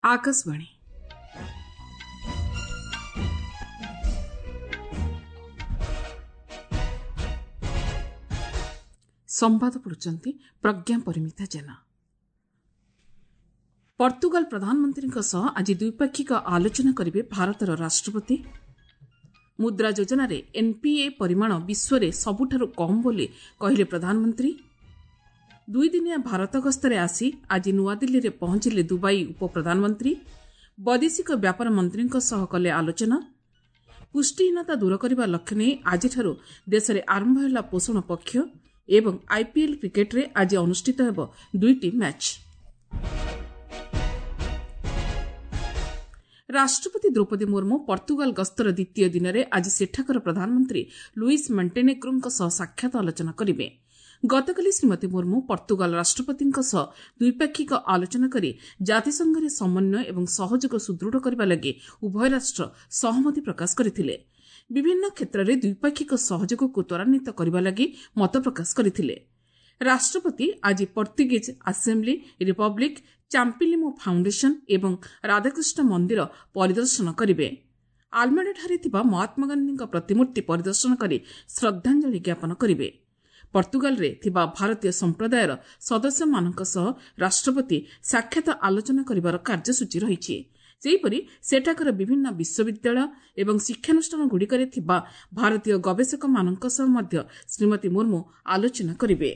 ଆକାଶବାଣୀ। ସମ୍ବାଦ ପଢୁଛନ୍ତି ପ୍ରଜ୍ଞା ପରିମିତା ଜେନା। ପର୍ତ୍ତୁଗାଲ ପ୍ରଧାନମନ୍ତ୍ରୀଙ୍କ ସହ ଆଜି ଦ୍ୱିପାକ୍ଷିକ ଆଲୋଚନା କରିବେ ଭାରତର ରାଷ୍ଟ୍ରପତି। ମୁଦ୍ରା ଯୋଜନାରେ ଏନ୍ପିଏ ପରିମାଣ ବିଶ୍ୱରେ ସବୁଠାରୁ କମ୍ ବୋଲି କହିଲେ ପ୍ରଧାନମନ୍ତ୍ରୀ। ଦୁଇଦିନିଆ ଭାରତ ଗସ୍ତରେ ଆସି ଆଜି ନୂଆଦିଲ୍ଲୀରେ ପହଞ୍ଚିଲେ ଦୁବାଇ ଉପପ୍ରଧାନମନ୍ତ୍ରୀ। ବୈଦେଶିକ ବ୍ୟାପାର ମନ୍ତ୍ରୀଙ୍କ ସହ କଲେ ଆଲୋଚନା। ପୁଷ୍ଟିହୀନତା ଦୂର କରିବା ଲକ୍ଷ୍ୟ ନେଇ ଆଜିଠାରୁ ଦେଶରେ ଆରମ୍ଭ ହେଲା ପୋଷଣ ପକ୍ଷ ଏବଂ ଆଇପିଏଲ୍ କ୍ରିକେଟ୍ରେ ଆଜି ଅନୁଷ୍ଠିତ ହେବ ଦୁଇଟି ମ୍ୟାଚ୍। ରାଷ୍ଟ୍ରପତି ଦ୍ରୌପଦୀ ମୁର୍ମୁ ପର୍ତ୍ତୁଗାଲ ଗସ୍ତର ଦ୍ୱିତୀୟ ଦିନରେ ଆଜି ସେଠାକାର ପ୍ରଧାନମନ୍ତ୍ରୀ ଲୁଇସ୍ ମଣ୍ଟେନେଗ୍ରୋଙ୍କ ସହ ସାକ୍ଷାତ ଆଲୋଚନା କରିବେ। ଗତକାଲି ଶ୍ରୀମତୀ ମୁର୍ମୁ ପର୍ତ୍ତୁଗାଲ ରାଷ୍ଟ୍ରପତିଙ୍କ ସହ ଦ୍ୱିପାକ୍ଷିକ ଆଲୋଚନା କରି ଜାତିସଂଘରେ ସମନ୍ୱୟ ଏବଂ ସହଯୋଗ ସୁଦୃଢ଼ କରିବା ଲାଗି ଉଭୟ ରାଷ୍ଟ୍ର ସହମତି ପ୍ରକାଶ କରିଥିଲେ। ବିଭିନ୍ନ କ୍ଷେତ୍ରରେ ଦ୍ୱିପାକ୍ଷିକ ସହଯୋଗକୁ ତ୍ୱରାନ୍ୱିତ କରିବା ଲାଗି ମତ ପ୍ରକାଶ କରିଥିଲେ। ରାଷ୍ଟ୍ରପତି ଆଜି ପର୍ତ୍ତୁଗୀଜ ଆସେମ୍ବ୍ଲି, ରିପବ୍ଲିକ୍, ଚାମ୍ପିଲିମୋ ଫାଉଣ୍ଡେସନ୍ ଏବଂ ରାଧାକୃଷ୍ଣ ମନ୍ଦିର ପରିଦର୍ଶନ କରିବେ। ଆଲମେଡାଠାରେ ଥିବା ମହାତ୍ମାଗାନ୍ଧୀଙ୍କ ପ୍ରତିମୂର୍ତ୍ତି ପରିଦର୍ଶନ କରି ଶ୍ରଦ୍ଧାଞ୍ଜଳି ଜ୍ଞାପନ କରିବେ। ପର୍ତ୍ତୁଗାଲରେ ଥିବା ଭାରତୀୟ ସମ୍ପ୍ରଦାୟର ସଦସ୍ୟମାନଙ୍କ ସହ ରାଷ୍ଟ୍ରପତି ସାକ୍ଷାତ ଆଲୋଚନା କରିବାର କାର୍ଯ୍ୟସୂଚୀ ରହିଛି। ସେହିପରି ସେଠାକାର ବିଭିନ୍ନ ବିଶ୍ୱବିଦ୍ୟାଳୟ ଏବଂ ଶିକ୍ଷାନୁଷ୍ଠାନଗୁଡ଼ିକରେ ଥିବା ଭାରତୀୟ ଗବେଷକମାନଙ୍କ ସହ ମଧ୍ୟ ଶ୍ରୀମତୀ ମୁର୍ମୁ ଆଲୋଚନା କରିବେ।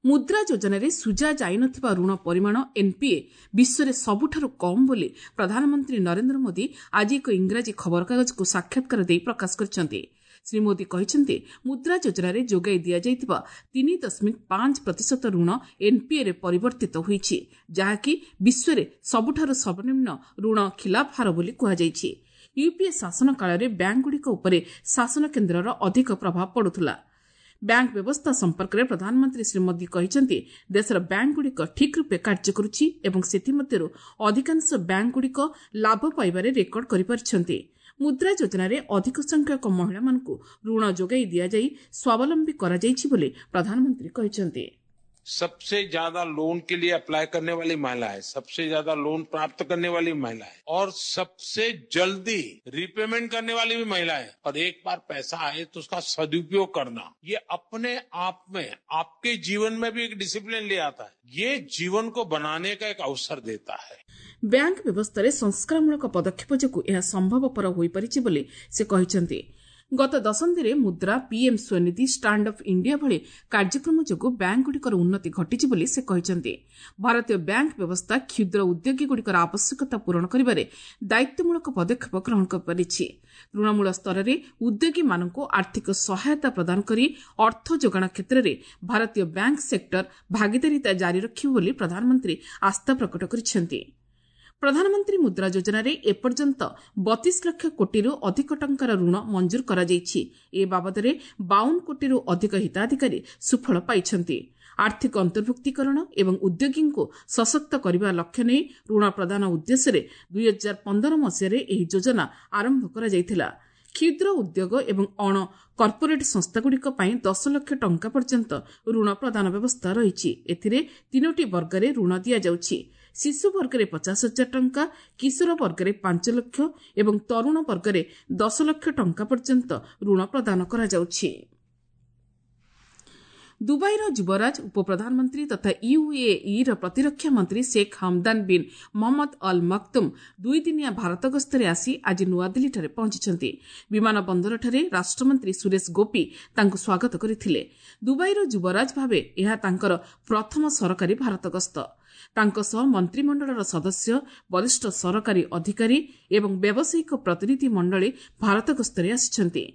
ମୁଦ୍ରା ଯୋଜନାରେ ସୁଝା ଯାଇନଥିବା ଋଣ ପରିମାଣ ଏନ୍ପିଏ ବିଶ୍ୱରେ ସବୁଠାରୁ କମ୍ ବୋଲି ପ୍ରଧାନମନ୍ତ୍ରୀ ନରେନ୍ଦ୍ର ମୋଦି ଆଜି ଏକ ଇଂରାଜୀ ଖବରକାଗଜକୁ ସାକ୍ଷାତକାର ଦେଇ ପ୍ରକାଶ କରିଛନ୍ତି। ଶ୍ରୀ ମୋଦି କହିଛନ୍ତି, ମୁଦ୍ରା ଯୋଜନାରେ ଯୋଗାଇ ଦିଆଯାଇଥିବା 3.5% ଋଣ ଏନ୍ପିଏରେ ପରିବର୍ତ୍ତିତ ହୋଇଛି, ଯାହାକି ବିଶ୍ୱରେ ସବୁଠାରୁ ସର୍ବନିମ୍ନ ଋଣ ଖିଲାପ ହାର ବୋଲି କୁହାଯାଇଛି। ୟୁପିଏ ଶାସନ କାଳରେ ବ୍ୟାଙ୍କଗୁଡ଼ିକ ଉପରେ ଶାସନ କେନ୍ଦ୍ରର ଅଧିକ ପ୍ରଭାବ ପଡ଼ୁଥିଲା। ବ୍ୟାଙ୍କ ବ୍ୟବସ୍ଥା ସମ୍ପର୍କରେ ପ୍ରଧାନମନ୍ତ୍ରୀ ଶ୍ରୀ ମୋଦି କହିଛନ୍ତି, ଦେଶର ବ୍ୟାଙ୍କଗୁଡ଼ିକ ଠିକ୍ ରୂପେ କାର୍ଯ୍ୟ କରୁଛି ଏବଂ ସେଥିମଧ୍ୟରୁ ଅଧିକାଂଶ ବ୍ୟାଙ୍କଗୁଡ଼ିକ ଲାଭ ପାଇବାରେ ରେକର୍ଡ କରିପାରିଛନ୍ତି। ମୁଦ୍ରା ଯୋଜନାରେ ଅଧିକ ସଂଖ୍ୟକ ମହିଳାମାନଙ୍କୁ ଋଣ ଯୋଗାଇ ଦିଆଯାଇ ସ୍ୱାବଲମ୍ବୀ କରାଯାଇଛି ବୋଲି ପ୍ରଧାନମନ୍ତ୍ରୀ କହିଛନ୍ତି। सबसे ज्यादा लोन के लिए अप्लाई करने वाली महिलाएं, सबसे ज्यादा लोन प्राप्त करने वाली महिलाएं और सबसे जल्दी रिपेमेंट करने वाली भी महिलाएं, और एक बार पैसा आए तो उसका सदुपयोग करना, ये अपने आप में आपके जीवन में भी एक डिसिप्लिन ले आता है। ये जीवन को बनाने का एक अवसर देता है। ବ୍ୟାଙ୍କ ବ୍ୟବସ୍ଥାରେ ସଂସ୍କାରମୂଳକ ପଦକ୍ଷେପ ଯୋଗୁଁ ଏହା ସମ୍ଭବପର ହୋଇପାରିଛି ବୋଲି ସେ କହିଛନ୍ତି। ଗତ ଦଶନ୍ଧିରେ Mudra, PM Svanidhi, stand up India ଭଳି କାର୍ଯ୍ୟକ୍ରମ ଯୋଗୁଁ ବ୍ୟାଙ୍କଗୁଡ଼ିକର ଉନ୍ନତି ଘଟିଛି ବୋଲି ସେ କହିଛନ୍ତି। ଭାରତୀୟ ବ୍ୟାଙ୍କ ବ୍ୟବସ୍ଥା କ୍ଷୁଦ୍ର ଉଦ୍ୟୋଗୀଗୁଡ଼ିକର ଆବଶ୍ୟକତା ପୂରଣ କରିବାରେ ଦାୟିତ୍ୱମୂଳକ ପଦକ୍ଷେପ ଗ୍ରହଣ କରିପାରିଛି। ତୃଣମୂଳ ସ୍ତରରେ ଉଦ୍ୟୋଗୀମାନଙ୍କୁ ଆର୍ଥିକ ସହାୟତା ପ୍ରଦାନ କରି ଅର୍ଥ ଯୋଗାଣ କ୍ଷେତ୍ରରେ ଭାରତୀୟ ବ୍ୟାଙ୍କ ସେକ୍ଟର ଭାଗିଦାରିତା ଜାରି ରଖିବ ବୋଲି ପ୍ରଧାନମନ୍ତ୍ରୀ ଆସ୍ଥା ପ୍ରକଟ କରିଛନ୍ତି। ପ୍ରଧାନମନ୍ତ୍ରୀ ମୁଦ୍ରା ଯୋଜନାରେ ଏପର୍ଯ୍ୟନ୍ତ 32 ଲକ୍ଷ କୋଟିରୁ ଅଧିକ ଟଙ୍କାର ଋଣ ମଞ୍ଜୁର କରାଯାଇଛି। ଏ ବାବଦରେ 52 କୋଟିରୁ ଅଧିକ ହିତାଧିକାରୀ ସୁଫଳ ପାଇଛନ୍ତି। ଆର୍ଥିକ ଅନ୍ତର୍ଭୁକ୍ତୀକରଣ ଏବଂ ଉଦ୍ୟୋଗୀଙ୍କୁ ସଶକ୍ତ କରିବା ଲକ୍ଷ୍ୟ ନେଇ ଋଣ ପ୍ରଦାନ ଉଦ୍ଦେଶ୍ୟରେ 2015 ମସିହାରେ ଏହି ଯୋଜନା ଆରମ୍ଭ କରାଯାଇଥିଲା। କ୍ଷୁଦ୍ର ଉଦ୍ୟୋଗ ଏବଂ ଅଣ କର୍ପୋରେଟ୍ ସଂସ୍ଥାଗୁଡ଼ିକ ପାଇଁ 10 ଲକ୍ଷ ଟଙ୍କା ପର୍ଯ୍ୟନ୍ତ ଋଣ ପ୍ରଦାନ ବ୍ୟବସ୍ଥା ରହିଛି। ଏଥିରେ ତିନୋଟି ବର୍ଗରେ ଋଣ ଦିଆଯାଉଛି। ଶିଶୁ ବର୍ଗରେ 50 ହଜାର ଟଙ୍କା, କିଶୋର ବର୍ଗରେ 5 ଲକ୍ଷ ଏବଂ ତରୁଣ ବର୍ଗରେ 10 ଲକ୍ଷ ଟଙ୍କା ପର୍ଯ୍ୟନ୍ତ ଋଣ ପ୍ରଦାନ କରାଯାଉଛି। ଦୁବାଇର ଯୁବରାଜ, ଉପପ୍ରଧାନମନ୍ତ୍ରୀ ତଥା ୟୁଏଇର ପ୍ରତିରକ୍ଷା ମନ୍ତ୍ରୀ Sheikh Hamdan bin Mohammed Al Maktoum ଦୁଇଦିନିଆ ଭାରତ ଗସ୍ତରେ ଆସି ଆଜି ନୂଆଦିଲ୍ଲୀଠାରେ ପହଞ୍ଚିଛନ୍ତି। ବିମାନ ବନ୍ଦରଠାରେ ରାଷ୍ଟ୍ରମନ୍ତ୍ରୀ ସୁରେଶ ଗୋପୀ ତାଙ୍କୁ ସ୍ୱାଗତ କରିଥିଲେ। ଦୁବାଇର ଯୁବରାଜ ଭାବେ ଏହା ତାଙ୍କର ପ୍ରଥମ ସରକାରୀ ଭାରତ ଗସ୍ତ। ତାଙ୍କ ସହ ମନ୍ତ୍ରିମଣ୍ଡଳର ସଦସ୍ୟ, ବରିଷ୍ଠ ସରକାରୀ ଅଧିକାରୀ ଏବଂ ବ୍ୟବସାୟିକ ପ୍ରତିନିଧି ମଣ୍ଡଳୀ ଭାରତ ଗସ୍ତରେ ଆସିଛନ୍ତି।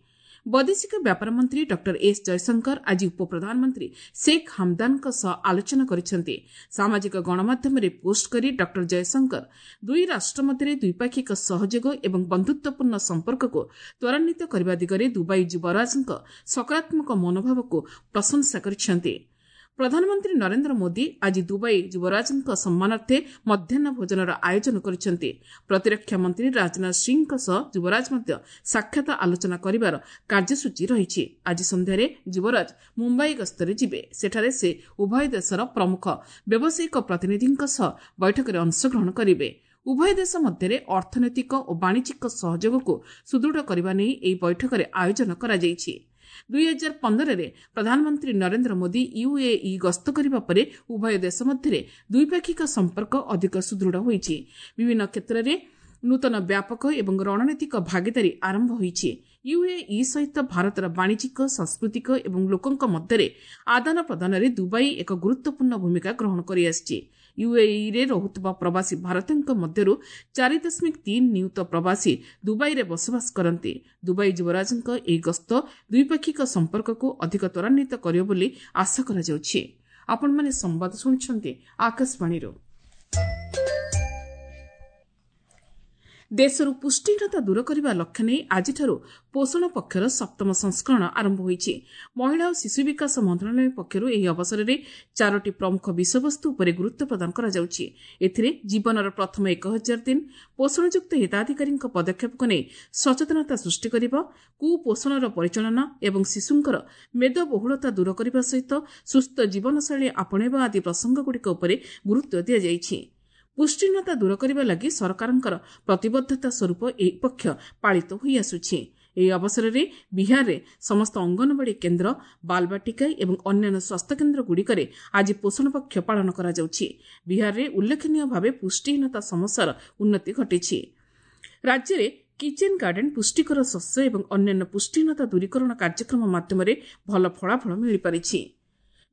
ବୈଦେଶିକ ବ୍ୟାପାର ମନ୍ତ୍ରୀ ଡକ୍ଟର ଏସ୍ ଜୟଶଙ୍କର ଆଜି ଉପପ୍ରଧାନମନ୍ତ୍ରୀ ଶେଖ୍ ହାମଦାନଙ୍କ ସହ ଆଲୋଚନା କରିଛନ୍ତି। ସାମାଜିକ ଗଣମାଧ୍ୟମରେ ପୋଷ୍ଟ କରି ଡକ୍ଟର ଜୟଶଙ୍କର ଦୁଇ ରାଷ୍ଟ୍ର ମଧ୍ୟରେ ଦ୍ୱିପାକ୍ଷିକ ସହଯୋଗ ଏବଂ ବନ୍ଧୁତ୍ୱପୂର୍ଣ୍ଣ ସମ୍ପର୍କକୁ ତ୍ୱରାନ୍ୱିତ କରିବା ଦିଗରେ ଦୁବାଇ ଯୁବରାଜଙ୍କ ସକାରାତ୍ମକ ମନୋଭାବକୁ ପ୍ରଶଂସା କରିଛନ୍ତି। ପ୍ରଧାନମନ୍ତ୍ରୀ ନରେନ୍ଦ୍ର ମୋଦି ଆଜି ଦୁବାଇ ଯୁବରାଜଙ୍କ ସମ୍ମାନାର୍ଥେ ମଧ୍ୟାହ୍ନ ଭୋଜନର ଆୟୋଜନ କରିଛନ୍ତି। ପ୍ରତିରକ୍ଷା ମନ୍ତ୍ରୀ ରାଜନାଥ ସିଂହଙ୍କ ସହ ଯୁବରାଜ ମଧ୍ୟ ସାକ୍ଷାତ ଆଲୋଚନା କରିବାର କାର୍ଯ୍ୟସୂଚୀ ରହିଛି। ଆଜି ସନ୍ଧ୍ୟାରେ ଯୁବରାଜ ମୁମ୍ବାଇ ଗସ୍ତରେ ଯିବେ। ସେଠାରେ ସେ ଉଭୟ ଦେଶର ପ୍ରମୁଖ ବ୍ୟବସାୟିକ ପ୍ରତିନିଧିଙ୍କ ସହ ବୈଠକରେ ଅଂଶଗ୍ରହଣ କରିବେ। ଉଭୟ ଦେଶ ମଧ୍ୟରେ ଅର୍ଥନୈତିକ ଓ ବାଣିଜ୍ୟିକ ସହଯୋଗକୁ ସୁଦୃଢ଼ କରିବା ନେଇ ଏହି ବୈଠକରେ ଆୟୋଜନ କରାଯାଇଛି। 2015ରେ ପ୍ରଧାନମନ୍ତ୍ରୀ ନରେନ୍ଦ୍ର ମୋଦି ୟୁଏଇ ଗସ୍ତ କରିବା ପରେ ଉଭୟ ଦେଶ ମଧ୍ୟରେ ଦ୍ୱିପାକ୍ଷିକ ସମ୍ପର୍କ ଅଧିକ ସୁଦୃଢ଼ ହୋଇଛି। ବିଭିନ୍ନ କ୍ଷେତ୍ରରେ ନୂତନ ବ୍ୟାପକ ଏବଂ ରଣନୀତିକ ଭାଗିଦାରୀ ଆରମ୍ଭ ହୋଇଛି। ୟୁଏଇ ସହିତ ଭାରତର ବାଣିଜ୍ୟିକ, ସାଂସ୍କୃତିକ ଏବଂ ଲୋକଙ୍କ ମଧ୍ୟରେ ଆଦାନ ପ୍ରଦାନରେ ଦୁବାଇ ଏକ ଗୁରୁତ୍ୱପୂର୍ଣ୍ଣ ଭୂମିକା ଗ୍ରହଣ କରିଆସିଛି। ୟୁଏଇରେ ରହୁଥିବା ପ୍ରବାସୀ ଭାରତୀୟଙ୍କ ମଧ୍ୟରୁ 4.3 ନିୟୁତ ପ୍ରବାସୀ ଦୁବାଇରେ ବସବାସ କରନ୍ତି। ଦୁବାଇ ଯୁବରାଜଙ୍କ ଏହି ଗସ୍ତ ଦ୍ୱିପାକ୍ଷିକ ସମ୍ପର୍କକୁ ଅଧିକ ତ୍ୱରାନ୍ୱିତ କରିବ ବୋଲି ଆଶା କରାଯାଉଛି। ଆପଣମାନେ ସମ୍ବାଦ ଶୁଣୁଛନ୍ତି ଆକାଶବାଣୀରୁ। ଦେଶରୁ ପୁଷ୍ଟିହୀନତା ଦୂର କରିବା ଲକ୍ଷ୍ୟ ନେଇ ଆଜିଠାରୁ ପୋଷଣ ପକ୍ଷର ସପ୍ତମ ସଂସ୍କରଣ ଆରମ୍ଭ ହୋଇଛି। ମହିଳା ଓ ଶିଶୁ ବିକାଶ ମନ୍ତ୍ରଣାଳୟ ପକ୍ଷରୁ ଏହି ଅବସରରେ 4ଟି ପ୍ରମୁଖ ବିଷୟବସ୍ତୁ ଉପରେ ଗୁରୁତ୍ୱ ପ୍ରଦାନ କରାଯାଉଛି। ଏଥିରେ ଜୀବନର ପ୍ରଥମ 1000 ଦିନ, ପୋଷଣଯୁକ୍ତ ହିତାଧିକାରୀଙ୍କ ପଦକ୍ଷେପକୁ ନେଇ ସଚେତନତା ସୃଷ୍ଟି କରିବା, କୁପୋଷଣର ପରିଚାଳନା ଏବଂ ଶିଶୁଙ୍କର ମେଦବହୁଳତା ଦୂର କରିବା ସହିତ ସୁସ୍ଥ ଜୀବନଶୈଳୀ ଆପଣେଇବା ଆଦି ପ୍ରସଙ୍ଗଗୁଡ଼ିକ ଉପରେ ଗୁରୁତ୍ୱ ଦିଆଯାଇଛି। ପୁଷ୍ଟିହୀନତା ଦୂର କରିବା ଲାଗି ସରକାରଙ୍କର ପ୍ରତିବଦ୍ଧତା ସ୍ୱରୂପ ଏହି ପକ୍ଷ ପାଳିତ ହୋଇଆସୁଛି। ଏହି ଅବସରରେ ବିହାରରେ ସମସ୍ତ ଅଙ୍ଗନବାଡ଼ି କେନ୍ଦ୍ର, ବାଲବାଟିକା ଏବଂ ଅନ୍ୟାନ୍ୟ ସ୍ୱାସ୍ଥ୍ୟକେନ୍ଦ୍ରଗୁଡ଼ିକରେ ଆଜି ପୋଷଣ ପକ୍ଷ ପାଳନ କରାଯାଉଛି। ବିହାରରେ ଉଲ୍ଲେଖନୀୟ ଭାବେ ପୁଷ୍ଟିହୀନତା ସମସ୍ୟାର ଉନ୍ନତି ଘଟିଛି। ରାଜ୍ୟରେ କିଚେନ୍ ଗାର୍ଡେନ୍, ପୁଷ୍ଟିକର ଶସ୍ୟ ଏବଂ ଅନ୍ୟାନ୍ୟ ପୁଷ୍ଟିହୀନତା ଦୂରୀକରଣ କାର୍ଯ୍ୟକ୍ରମ ମାଧ୍ୟମରେ ଭଲ ଫଳାଫଳ ମିଳିପାରିଛି।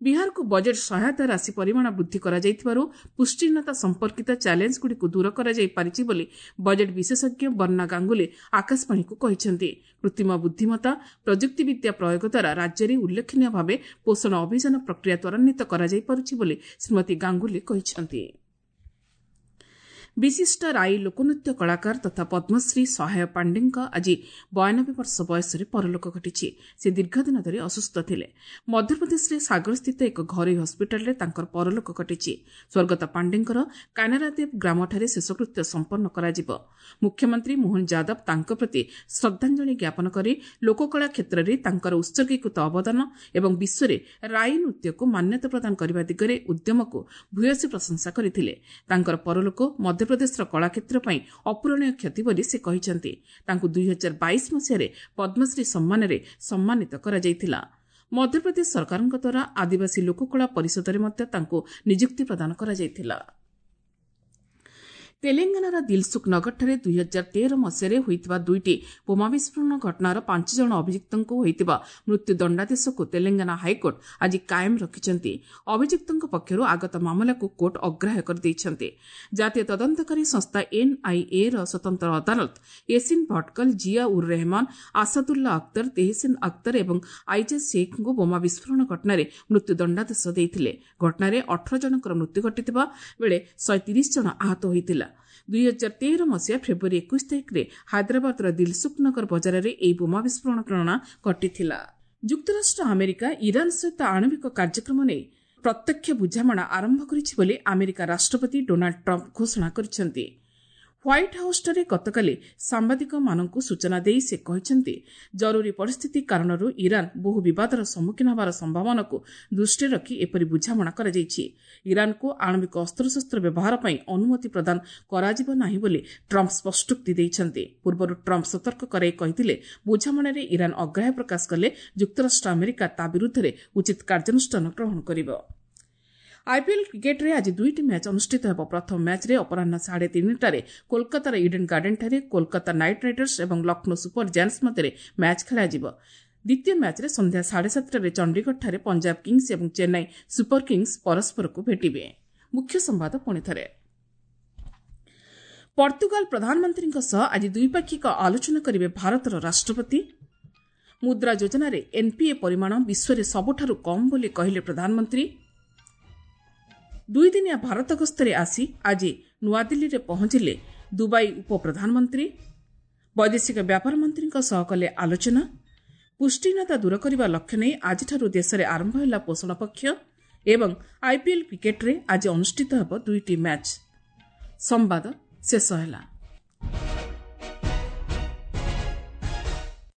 ବିହାରକୁ ବଜେଟ୍ ସହାୟତା ରାଶି ପରିମାଣ ବୃଦ୍ଧି କରାଯାଇଥିବାରୁ ପୁଷ୍ଟିହୀନତା ସମ୍ପର୍କିତ ଚ୍ୟାଲେଞ୍ଜଗୁଡ଼ିକୁ ଦୂର କରାଯାଇପାରିଛି ବୋଲି ବଜେଟ୍ ବିଶେଷଜ୍ଞ ବର୍ଣ୍ଣା ଗାଙ୍ଗୁଲି ଆକାଶବାଣୀକୁ କହିଛନ୍ତି। କୃତ୍ରିମ ବୁଦ୍ଧିମତ୍ତା, ପ୍ରଯୁକ୍ତିବିଦ୍ୟା ପ୍ରୟୋଗ ଦ୍ୱାରା ରାଜ୍ୟରେ ଉଲ୍ଲେଖନୀୟ ଭାବେ ପୋଷଣ ଅଭିଯାନ ପ୍ରକ୍ରିୟା ତ୍ୱରାନ୍ୱିତ କରାଯାଇପାରୁଛି ବୋଲି ଶ୍ରୀମତୀ ଗାଙ୍ଗୁଲି କହିଛନ୍ତି। ବିଶିଷ୍ଟ ରାଇ ଲୋକନୃତ୍ୟ କଳାକାର ତଥା ପଦ୍ମଶ୍ରୀ ସହାୟ ପାଣ୍ଡେଙ୍କ ଆଜି 92 ବର୍ଷ ବୟସରେ ପରଲୋକ ଘଟିଛି। ସେ ଦୀର୍ଘଦିନ ଧରି ଅସୁସ୍ଥ ଥିଲେ। ମଧ୍ୟପ୍ରଦେଶରେ ସାଗରସ୍ଥିତ ଏକ ଘରୋଇ ହସ୍ପିଟାଲରେ ତାଙ୍କର ପରଲୋକ ଘଟିଛି। ସ୍ୱର୍ଗତ ପାଣ୍ଡେଙ୍କର କାନାରାଦେବ ଗ୍ରାମଠାରେ ଶେଷକୃତ୍ୟ ସମ୍ପନ୍ନ କରାଯିବ। ମୁଖ୍ୟମନ୍ତ୍ରୀ ମୋହନ ଯାଦବ ତାଙ୍କ ପ୍ରତି ଶ୍ରଦ୍ଧାଞ୍ଜଳି ଜ୍ଞାପନ କରି ଲୋକକଳା କ୍ଷେତ୍ରରେ ତାଙ୍କର ଉତ୍ସର୍ଗୀକୃତ ଅବଦାନ ଏବଂ ବିଶ୍ୱରେ ରାଇ ନୃତ୍ୟକୁ ମାନ୍ୟତା ପ୍ରଦାନ କରିବା ଦିଗରେ ଉଦ୍ୟମକୁ ଭୂୟସୀ ପ୍ରଶଂସା କରିଥିଲେ। ତାଙ୍କର ପରଲୋକ ମଧ୍ୟପ୍ରଦେଶର କଳାକ୍ଷେତ୍ର ପାଇଁ ଅପୂରଣୀୟ କ୍ଷତି ବୋଲି ସେ କହିଛନ୍ତି। ତାଙ୍କୁ 2022 ମସିହାରେ ପଦ୍ମଶ୍ରୀ ସମ୍ମାନରେ ସମ୍ମାନିତ କରାଯାଇଥିଲା। ମଧ୍ୟପ୍ରଦେଶ ସରକାରଙ୍କ ଦ୍ୱାରା ଆଦିବାସୀ ଲୋକକଳା ପରିଷଦରେ ମଧ୍ୟ ତାଙ୍କୁ ନିଯୁକ୍ତି ପ୍ରଦାନ କରାଯାଇଥିଲା। ତେଲେଙ୍ଗାନାର ଦିଲସୁଖ ନଗରଠାରେ 2013 ମସିହାରେ ହୋଇଥିବା ଦୁଇଟି ବୋମା ବିସ୍ଫୋରଣ ଘଟଣାର 5 ଜଣ ଅଭିଯୁକ୍ତଙ୍କୁ ହୋଇଥିବା ମୃତ୍ୟୁ ଦଣ୍ଡାଦେଶକୁ ତେଲେଙ୍ଗାନା ହାଇକୋର୍ଟ ଆଜି କାଏମ ରଖିଛନ୍ତି। ଅଭିଯୁକ୍ତଙ୍କ ପକ୍ଷରୁ ଆଗତ ମାମଲାକୁ କୋର୍ଟ ଅଗ୍ରାହ୍ୟ କରିଦେଇଛନ୍ତି। ଜାତୀୟ ତଦନ୍ତକାରୀ ସଂସ୍ଥା ଏନ୍ଆଇଏର ସ୍ୱତନ୍ତ୍ର ଅଦାଲତ ୟେସିନ୍ ଭଟକଲ, ଜିଆ ଉର୍ ରେହମାନ, ଆସାଦୁଲ୍ଲା ଅକ୍ତର, ତେହସିନ୍ ଅକ୍ତର ଏବଂ ଆଇଜାଜ ଶେଖ୍ଙ୍କୁ ବୋମା ବିସ୍ଫୋରଣ ଘଟଣାରେ ମୃତ୍ୟୁ ଦଣ୍ଡାଦେଶ ଦେଇଥିଲେ। ଘଟଣାରେ 18 ଜଣଙ୍କର ମୃତ୍ୟୁ ଘଟିଥିବା ବେଳେ 130 ଜଣ ଆହତ ହୋଇଥିଲା। 2013 ମସିହା ଫେବୃଆରୀ 21 ତାରିଖରେ ହାଇଦ୍ରାବାଦର ଦିଲସୁଖନଗର ବଜାରରେ ଏହି ବୋମା ବିସ୍ଫୋରଣ ଘଟଣା ଘଟିଥିଲା। ଯୁକ୍ତରାଷ୍ଟ୍ର ଆମେରିକା ଇରାନ ସହିତ ଆଣବିକ କାର୍ଯ୍ୟକ୍ରମ ନେଇ ପ୍ରତ୍ୟକ୍ଷ ବୁଝାମଣା ଆରମ୍ଭ କରିଛି ବୋଲି ଆମେରିକା ରାଷ୍ଟ୍ରପତି ଡୋନାଲ୍ଡ ଟ୍ରମ୍ପ ଘୋଷଣା କରିଛନ୍ତି। ହ୍ୱାଇଟ୍ ହାଉସ୍ଠାରେ ଗତକାଲି ସାମ୍ବାଦିକମାନଙ୍କୁ ସୂଚନା ଦେଇ ସେ କହିଛନ୍ତି, ଜରୁରୀ ପରିସ୍ଥିତି କାରଣରୁ ଇରାନ ବହୁ ବିବାଦର ସମ୍ମୁଖୀନ ହେବାର ସମ୍ଭାବନାକୁ ଦୃଷ୍ଟିରେ ରଖି ଏପରି ବୁଝାମଣା କରାଯାଇଛି। ଇରାନକୁ ଆଣବିକ ଅସ୍ତ୍ରଶସ୍ତ୍ର ବ୍ୟବହାର ପାଇଁ ଅନୁମତି ପ୍ରଦାନ କରାଯିବ ନାହିଁ ବୋଲି ଟ୍ରମ୍ପ ସ୍ପଷ୍ଟୋକ୍ତି ଦେଇଛନ୍ତି। ପୂର୍ବରୁ ଟ୍ରମ୍ପ ସତର୍କ କରାଇ କହିଥିଲେ, ବୁଝାମଣାରେ ଇରାନ ଅଗ୍ରାହ୍ୟ ପ୍ରକାଶ କଲେ ଯୁକ୍ତରାଷ୍ଟ୍ର ଆମେରିକା ତା ବିରୁଦ୍ଧରେ ଉଚିତ କାର୍ଯ୍ୟାନୁଷ୍ଠାନ ଗ୍ରହଣ କରିବ। ଆଇପିଏଲ୍ କ୍ରିକେଟ୍ରେ ଆଜି ଦୁଇଟି ମ୍ୟାଚ୍ ଅନୁଷ୍ଠିତ ହେବ। ପ୍ରଥମ ମ୍ୟାଚ୍ରେ ଅପରାହ୍ନ 3:30ଟାରେ କୋଲକାତାର ଇଡେନ୍ ଗାର୍ଡେନ୍ଠାରେ କୋଲକାତା ନାଇଟ୍ ରାଇଡର୍ସ ଏବଂ ଲକ୍ଷ୍ନୌ ସୁପର ଜାୟାଣ୍ଟସ୍ ମଧ୍ୟରେ ମ୍ୟାଚ୍ ଖେଳାଯିବ। ଦ୍ୱିତୀୟ ମ୍ୟାଚ୍ରେ ସନ୍ଧ୍ୟା 7:30ଟାରେ ଚଣ୍ଡିଗଡ଼ଠାରେ ପଞ୍ଜାବ କିଙ୍ଗ୍ସ ଏବଂ ଚେନ୍ନାଇ ସୁପର କିଙ୍ଗ୍ସ ପରସ୍ପରକୁ ଭେଟିବେ। ମୁଖ୍ୟ ସମ୍ବାଦ ପୁଣିଥରେ। ପର୍ତ୍ତୁଗାଲ ପ୍ରଧାନମନ୍ତ୍ରୀଙ୍କ ସହ ଆଜି ଦ୍ୱିପାକ୍ଷିକ ଆଲୋଚନା କରିବେ ଭାରତର ରାଷ୍ଟ୍ରପତି। ମୁଦ୍ରା ଯୋଜନାରେ ଏନ୍ପିଏ ପରିମାଣ ବିଶ୍ୱରେ ସବୁଠାରୁ କମ୍ ବୋଲି କହିଲେ ପ୍ରଧାନମନ୍ତ୍ରୀ। ଦୁଇଦିନିଆ ଭାରତ ଗସ୍ତରେ ଆସି ଆଜି ନୂଆଦିଲ୍ଲୀରେ ପହଞ୍ଚିଲେ ଦୁବାଇ ଉପପ୍ରଧାନମନ୍ତ୍ରୀ। ବୈଦେଶିକ ବ୍ୟାପାର ମନ୍ତ୍ରୀଙ୍କ ସହ କଲେ ଆଲୋଚନା। ପୁଷ୍ଟିହୀନତା ଦୂର କରିବା ଲକ୍ଷ୍ୟ ନେଇ ଆଜିଠାରୁ ଦେଶରେ ଆରମ୍ଭ ହେଲା ପୋଷଣ ପକ୍ଷ। ଏବଂ ଆଇପିଏଲ୍ କ୍ରିକେଟ୍ରେ ଆଜି ଅନୁଷ୍ଠିତ ହେବ ଦୁଇଟି ମ୍ୟାଚ୍। ସମ୍ବାଦ ଶେଷ ହେଲା।